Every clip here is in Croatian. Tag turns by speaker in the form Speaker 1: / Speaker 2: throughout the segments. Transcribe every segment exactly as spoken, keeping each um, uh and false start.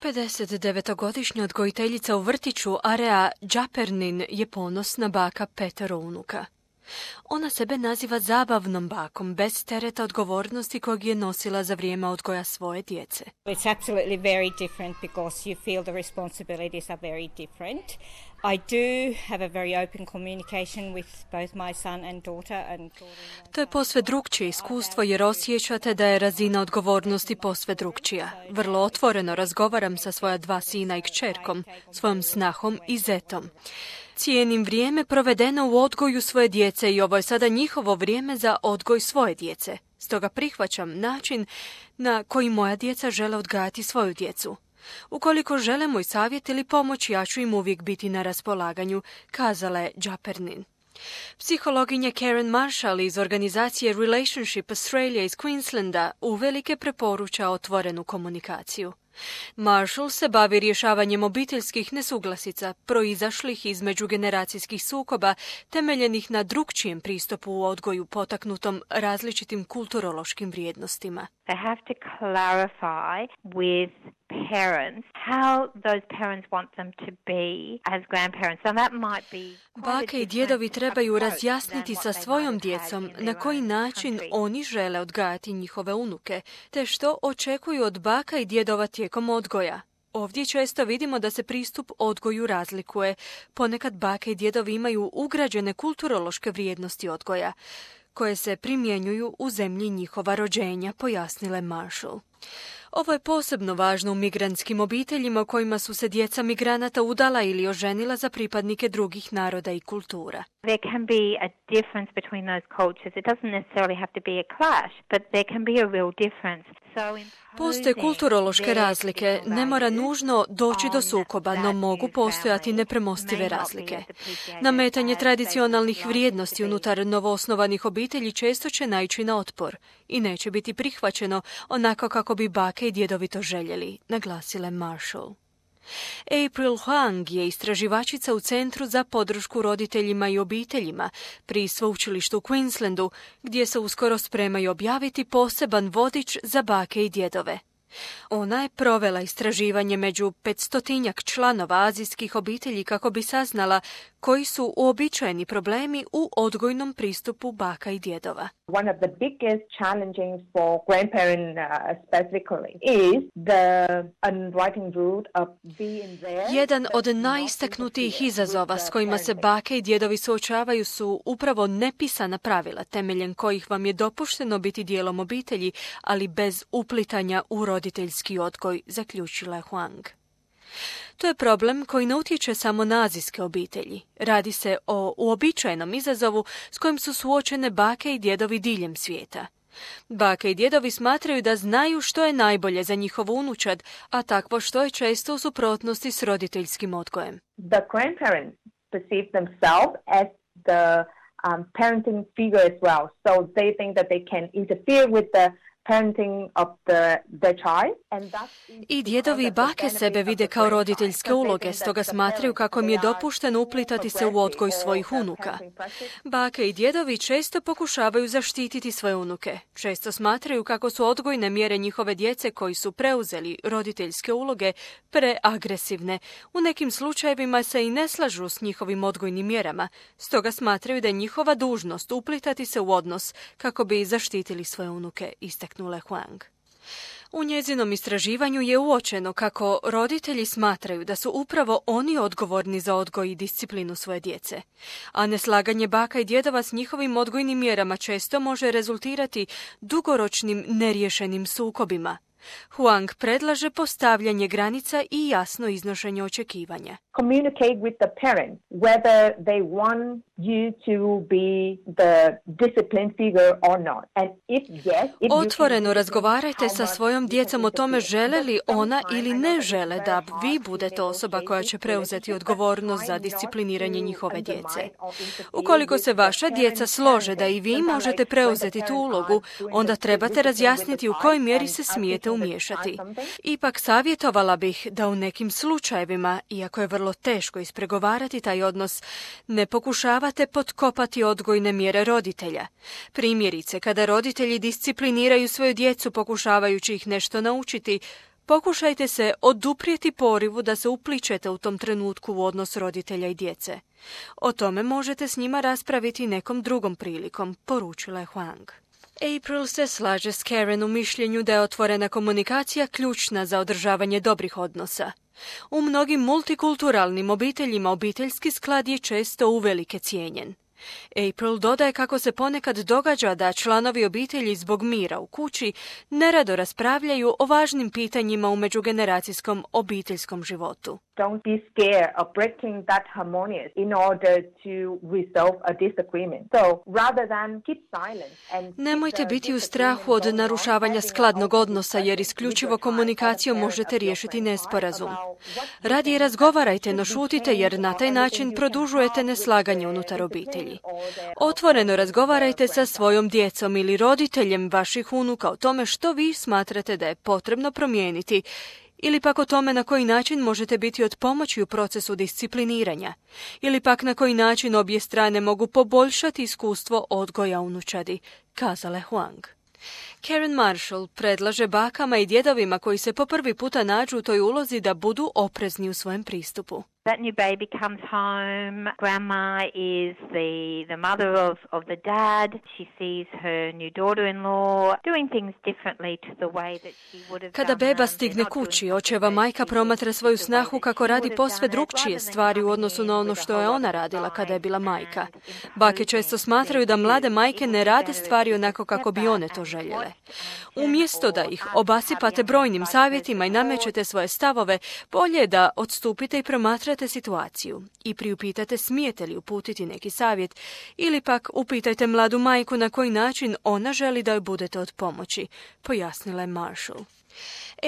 Speaker 1: pedesetdevetogodišnja odgojiteljica u vrtiću Area Džapernin je ponosna baka petero unuka. Ona sebe naziva zabavnom bakom, bez tereta odgovornosti kojeg je nosila za vrijeme odgoja svoje djece.
Speaker 2: It's absolutely very different because you feel the responsibilities are very different. I do have a very open communication with both my son and daughter and
Speaker 1: To je posve drukčije iskustvo jer osjećate da je razina odgovornosti posve drukčija. Vrlo otvoreno razgovaram sa svoja dva sina i kćerkom, svojom snahom i zetom. Cijenim vrijeme provedeno u odgoju svoje djece i ovo je sada njihovo vrijeme za odgoj svoje djece. Stoga prihvaćam način na koji moja djeca žele odgajati svoju djecu. Ukoliko žele moj savjet ili pomoć, ja ću im uvijek biti na raspolaganju, kazala je Džapernin. Psihologinja Karen Marshall iz organizacije Relationship Australia iz Queenslanda uvelike preporuča otvorenu komunikaciju. Marshall se bavi rješavanjem obiteljskih nesuglasica, proizašlih iz međugeneracijskih sukoba, temeljenih na drukčijem pristupu u odgoju potaknutom različitim kulturološkim vrijednostima.
Speaker 3: They have to clarify with parents how those parents want them to be as grandparents. And that might be
Speaker 1: Bake i djedovi trebaju razjasniti sa svojom djecom na koji način oni žele odgajati njihove unuke, te što očekuju od baka i djedova tijekom odgoja. Ovdje često vidimo da se pristup odgoju razlikuje. Ponekad bake i djedovi imaju ugrađene kulturološke vrijednosti odgoja, koje se primjenjuju u zemlji njihova rođenja, pojasnile Marshall. Ovo je posebno važno u migrantskim obiteljima u kojima su se djeca migranata udala ili oženila za pripadnike drugih naroda i kultura.
Speaker 3: There can be a difference between those cultures. It doesn't necessarily have to be a clash, but there can be a real difference.
Speaker 1: Postoje kulturološke razlike, ne mora nužno doći do sukoba, no mogu postojati nepremostive razlike. Nametanje tradicionalnih vrijednosti unutar novoosnovanih obitelji često će naići na otpor i neće biti prihvaćeno onako kako bi bake i djedovi to željeli, naglasile Marshall. April Huang je istraživačica u Centru za podršku roditeljima i obiteljima pri sveučilištu u Queenslandu, gdje se uskoro spremaju objaviti poseban vodič za bake i djedove. Ona je provela istraživanje među petstotinjak članova azijskih obitelji kako bi saznala koji su uobičajeni problemi u odgojnom pristupu baka i djedova.
Speaker 4: One of the biggest challenges for grandparents uh, specifically is the unwritten root of being there.
Speaker 1: Jedan od najistaknutijih izazova s kojima se bake i djedovi suočavaju su upravo nepisana pravila temeljem kojih vam je dopušteno biti dijelom obitelji, ali bez uplitanja u roditeljski odgoj, zaključila je Huang. To je problem koji ne utječe samo na azijske obitelji. Radi se o uobičajenom izazovu s kojim su suočene bake i djedovi diljem svijeta. Bake i djedovi smatraju da znaju što je najbolje za njihov unučad, a takvo što je često u suprotnosti s roditeljskim odgojem.
Speaker 4: The grandparents perceive themselves as the um, parenting figure as well, so they think that they can interfere with the parenting of the, the child. And
Speaker 1: I djedovi i bake sebe vide kao roditeljske uloge, stoga smatraju kako im je dopušteno uplitati se u odgoj svojih unuka. Bake i djedovi često pokušavaju zaštititi svoje unuke. Često smatraju kako su odgojne mjere njihove djece koji su preuzeli roditeljske uloge preagresivne. U nekim slučajevima se i ne slažu s njihovim odgojnim mjerama, stoga smatraju da je njihova dužnost uplitati se u odnos kako bi zaštitili svoje unuke, istaknula Huang. U njezinom istraživanju je uočeno kako roditelji smatraju da su upravo oni odgovorni za odgoj i disciplinu svoje djece, a neslaganje baka i djedova s njihovim odgojnim mjerama često može rezultirati dugoročnim neriješenim sukobima. Huang predlaže postavljanje granica i jasno iznošenje očekivanja.
Speaker 4: Communicate with the parents whether they want you to be the discipline figure or not. And if yes, if
Speaker 1: Otvoreno razgovarajte sa svojom djecom o tome žele li ona ili ne žele da vi budete osoba koja će preuzeti odgovornost za discipliniranje njihove djece. Ukoliko se vaša djeca slože da i vi možete preuzeti tu ulogu, onda trebate razjasniti u kojoj mjeri se smijete umiješati. Ipak savjetovala bih da u nekim slučajevima, iako je vrlo teško ispregovarati taj odnos, ne pokušavate potkopati odgojne mjere roditelja. Primjerice, kada roditelji discipliniraju svoju djecu pokušavajući ih nešto naučiti, Pokušajte se oduprijeti porivu da se upličete u tom trenutku u odnos roditelja i djece. O tome možete s njima raspraviti nekom drugom prilikom, poručila je Huang. April se slaže s Karen u mišljenju da je otvorena komunikacija ključna za održavanje dobrih odnosa. U mnogim multikulturalnim obiteljima obiteljski sklad je često uvelike cijenjen. April dodaje kako se ponekad događa da članovi obitelji zbog mira u kući nerado raspravljaju o važnim pitanjima u međugeneracijskom obiteljskom životu.
Speaker 4: Don't be scared of breaking that harmonious in order to resolve a disagreement. So, rather than keep silent and
Speaker 1: Nemojte biti u strahu od narušavanja skladnog odnosa, jer isključivo komunikacijom možete riješiti nesporazum. Radije razgovarajte, no šutite, jer na taj način produžujete neslaganje unutar obitelji. Otvoreno razgovarajte sa svojom djecom ili roditeljem vaših unuka o tome što vi smatrate da je potrebno promijeniti, ili pak o tome na koji način možete biti od pomoći u procesu discipliniranja, ili pak na koji način obje strane mogu poboljšati iskustvo odgoja unučadi, kazala je Huang. Karen Marshall predlaže bakama i djedovima koji se po prvi puta nađu u toj ulozi da budu oprezni u svojem pristupu.
Speaker 3: That new baby comes home. Grandma is the, the mother of, of the dad. She sees her new daughter-in-law doing things differently to the way that she would have done.
Speaker 1: Kada beba stigne kući, očeva majka promatra svoju snahu kako radi posve drugčije stvari u odnosu na ono što je ona radila kada je bila majka. Bake često smatraju da mlade majke ne rade stvari onako kako bi one to željele. Umjesto da ih obasipate brojnim savjetima i namećete svoje stavove, bolje je da odstupite i promatrate situaciju i priupitate smijete li uputiti neki savjet, ili pak upitajte mladu majku na koji način ona želi da joj budete od pomoći, pojasnila je Marshall.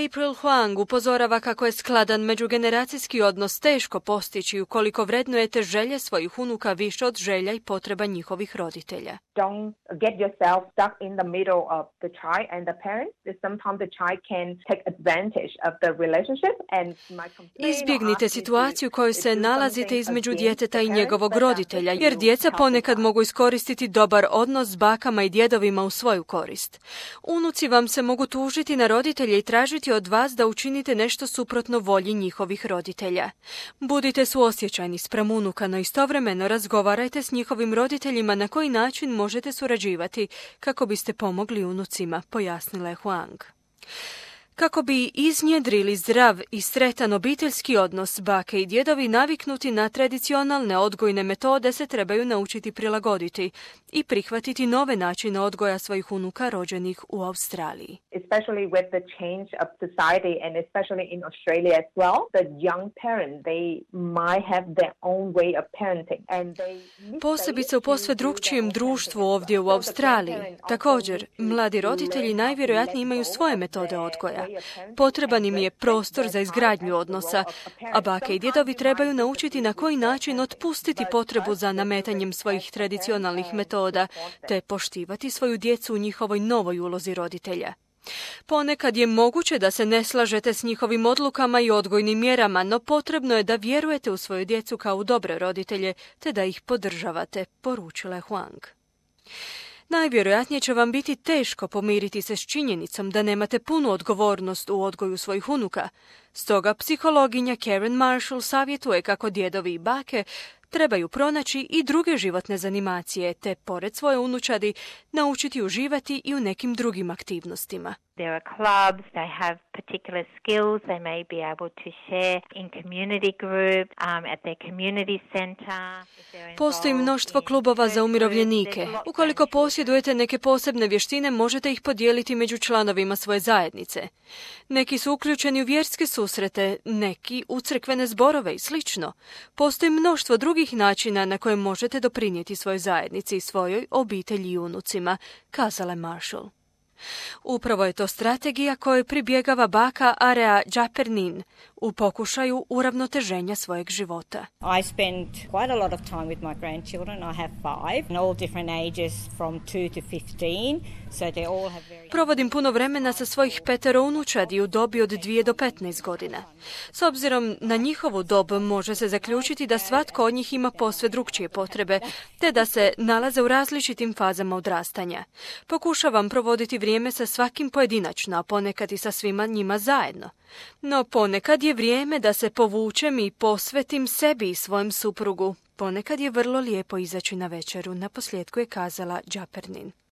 Speaker 1: April Huang upozorava kako je skladan međugeneracijski odnos teško postići ukoliko vrednujete želje svojih unuka više od želja i potreba njihovih roditelja.
Speaker 4: Don't get yourself stuck in the middle of the child and the parents. Sometimes the child can take advantage of the relationship and might complain.
Speaker 1: Izbjegnite situaciju u kojoj se nalazite između djeteta i njegovog roditelja, jer djeca ponekad mogu iskoristiti dobar odnos s bakama i djedovima u svoju korist. Unuci vam se mogu tužiti na roditelje i tražiti od vas da učinite nešto suprotno volji njihovih roditelja. Budite suosjećajni spram unuka, no istovremeno razgovarajte s njihovim roditeljima na koji način možete surađivati kako biste pomogli unucima, pojasnila je Huang. Kako bi iznjedrili zdrav i sretan obiteljski odnos, bake i djedovi naviknuti na tradicionalne odgojne metode se trebaju naučiti prilagoditi i prihvatiti nove načine odgoja svojih unuka rođenih u Australiji.
Speaker 4: Especially with the change of society and especially in Australia as well, the young parents, they might have their own way of parenting. And they
Speaker 1: Posebice u posve drugčijem društvu ovdje u Australiji. Također, mladi roditelji najvjerojatnije imaju svoje metode odgoja. Potreban im je prostor za izgradnju odnosa, a bake i djedovi trebaju naučiti na koji način otpustiti potrebu za nametanjem svojih tradicionalnih metoda, te poštivati svoju djecu u njihovoj novoj ulozi roditelja. Ponekad je moguće da se ne slažete s njihovim odlukama i odgojnim mjerama, no potrebno je da vjerujete u svoju djecu kao u dobre roditelje, te da ih podržavate, poručila je Huang. Najvjerojatnije će vam biti teško pomiriti se s činjenicom da nemate punu odgovornost u odgoju svojih unuka. Stoga psihologinja Karen Marshall savjetuje kako djedovi i bake trebaju pronaći i druge životne zanimacije, te pored svoje unučadi naučiti uživati i u nekim drugim aktivnostima.
Speaker 3: There are clubs, they have particular skills they may be able to share in community group, um, at their community center.
Speaker 1: Postoji mnoštvo klubova za umirovljenike. Ukoliko posjedujete neke posebne vještine, možete ih podijeliti među članovima svoje zajednice. Neki su uključeni u vjerske susrete, neki u crkvene zborove i slično. Postoji mnoštvo drugih načina na koje možete doprinijeti svojoj zajednici i svojoj obitelji i unucima, kazala je Marshall. Upravo je to strategija kojoj pribjegava baka Area Džapernin u pokušaju uravnoteženja svojeg života.
Speaker 2: I spend quite a lot of time with my grandchildren. I have five, and all different ages from two to fifteen. So they all have very...
Speaker 1: Provodim puno vremena sa svojih petero unučadi u dobi od dvije do petnaest godina. S obzirom na njihovu dob može se zaključiti da svatko od njih ima posve drukčije potrebe, te da se nalaze u različitim fazama odrastanja. Pokušavam provoditi vrijeme vrijeme sa svakim pojedinačno, a ponekad i sa svima njima zajedno. No ponekad je vrijeme da se povučem i posvetim sebi i svojem suprugu. Ponekad je vrlo lijepo izaći na večeru, naposljetku je kazala Đapernin.